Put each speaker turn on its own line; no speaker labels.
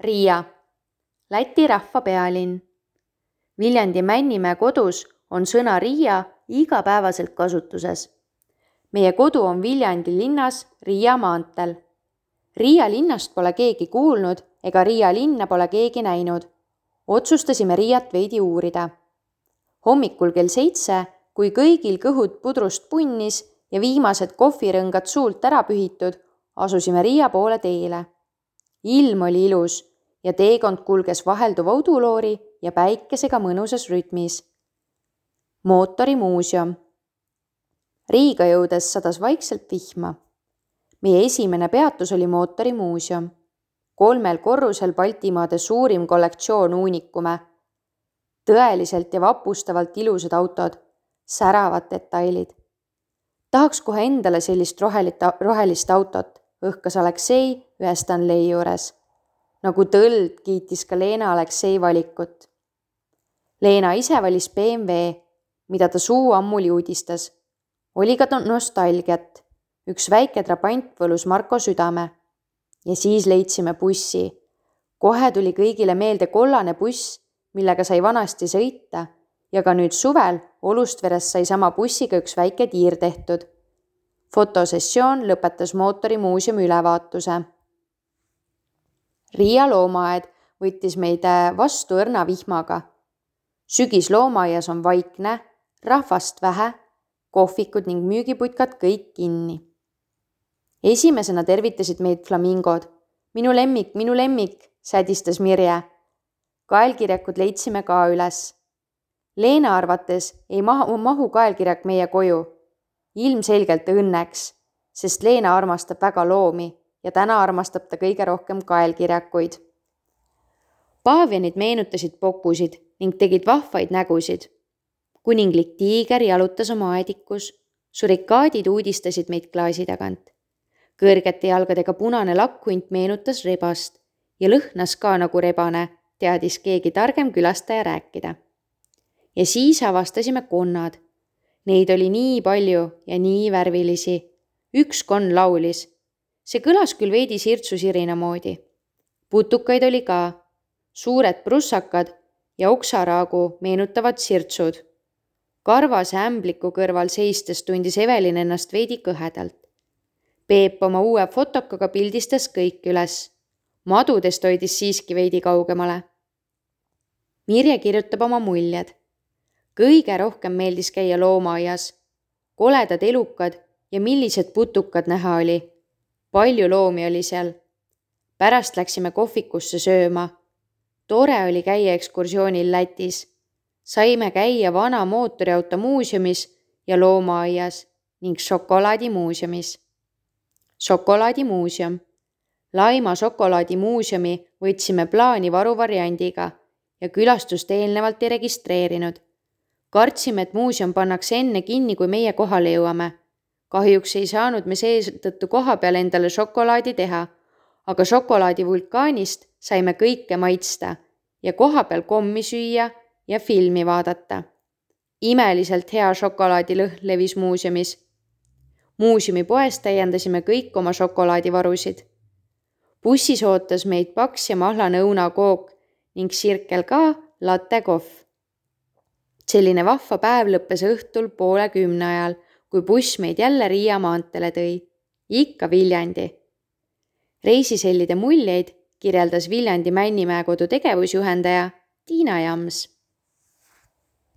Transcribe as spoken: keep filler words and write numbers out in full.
Riia, Läti rahva pealinn. Viljandi Männimäe kodus on sõna Riia igapäevaselt kasutuses. Meie kodu on Viljandi linnas Riia maanteel. Riia linnast pole keegi kuulnud ega Riia linna pole keegi näinud. Otsustasime Riiat veidi uurida. Hommikul kell seitse, kui kõigil kõhud pudrust punnis ja viimased kohvirõngad suult ära pühitud, asusime Riia poole teele. Ilm oli ilus ja teekond kulges vahelduva uduloori ja päikesega mõnusas rütmis. Mootorimuuseum. Riiga jõudes sadas vaikselt vihma. Meie esimene peatus oli mootorimuuseum. Kolmel korrusel Baltimaade suurim kollektsioon uunikume. Tõeliselt ja vapustavalt ilusad autod, säravad detailid. Tahaks kohe endale sellist rohelist autot, õhkas Aleksei ühe Stanley juures. Nagu tõld kiitis ka Leena Aleksei valikut. Leena ise valis B M W, mida ta suu ammuli uudistas. Oli ka nostalgiat. Üks väike trabant võlus Marko südame. Ja siis leidsime bussi. Kohe tuli kõigile meelde kollane buss, millega sai vanasti sõita ja ka nüüd suvel Olustveres sai sama bussiga üks väike tiir tehtud. Fotosessioon lõpetas mootorimuuseumi ülevaatuse. Riia loomaaed võttis meid vastu õrna vihmaga. Sügis loomaaias on vaikne, rahvast vähe, kohvikud ning müügiputkad kõik kinni. Esimesena tervitasid meid flamingod. Minu lemmik, minu lemmik, sädistas Mirje. Kaelkirjakud leidsime ka üles. Leena arvates ei mahu, mahu kaelkirjak meie koju. Ilmselgelt õnneks, sest Leena armastab väga loomi ja täna armastab ta kõige rohkem kaelkirjakuid. Paavianid meenutasid popusid ning tegid vahvaid nägusid. Kuninglik tiiger jalutas oma aedikus. Surikaadid uudistasid meid klaasi tagant. Kõrgete jalgadega punane lakkhunt meenutas rebast ja lõhnas ka nagu rebane, teadis keegi targem külastaja rääkida. Ja siis avastasime konnad. Neid oli nii palju ja nii värvilisi. Üks konn laulis. See kõlas küll veidi sirtsu sirina moodi. Putukaid oli ka. Suured prussakad ja oksaraagu meenutavad sirtsud. Karvase ämbliku kõrval seistes tundis Evelin ennast veidi kõhedalt. Peep oma uue fotokaga pildistas kõik üles. Madudest hoidis siiski veidi kaugemale. Mirje kirjutab oma muljed. Kõige rohkem meeldis käia loomaaias. Koledad elukad ja millised putukad näha oli. Palju loomi oli seal. Pärast läksime kohvikusse sööma. Tore oli käia ekskursioonil Lätis. Saime käia vana mootoriauto muuseumis ja loomaaias ning šokolaadimuuseumis. Šokolaadimuuseum. Laima šokolaadimuuseumi võtsime plaani varuvariandiga ja külastust eelnevalt ei registreerinud. Kartsime, et muuseum pannakse enne kinni, kui meie kohale jõuame. Kahjuks ei saanud me seetõttu koha peal endale šokolaadi teha, aga šokolaadi vulkaanist saime kõike maitsta ja koha peal kommi süüa ja filmi vaadata. Imeliselt hea šokolaadilõhn levis muuseumis. Muuseumi poes täiendasime kõik oma šokolaadivarusid. Bussis ootas meid paks ja mahlane õunakook ning Sirkel ka latte kohv. Selline vahva päev lõppes õhtul poole kümne ajal, kui buss meid jälle Riia maantele tõi. Ikka Viljandi. Reisisellide muljeid kirjeldas Viljandi Männimäe kodu tegevusjuhendaja Tiina Jams.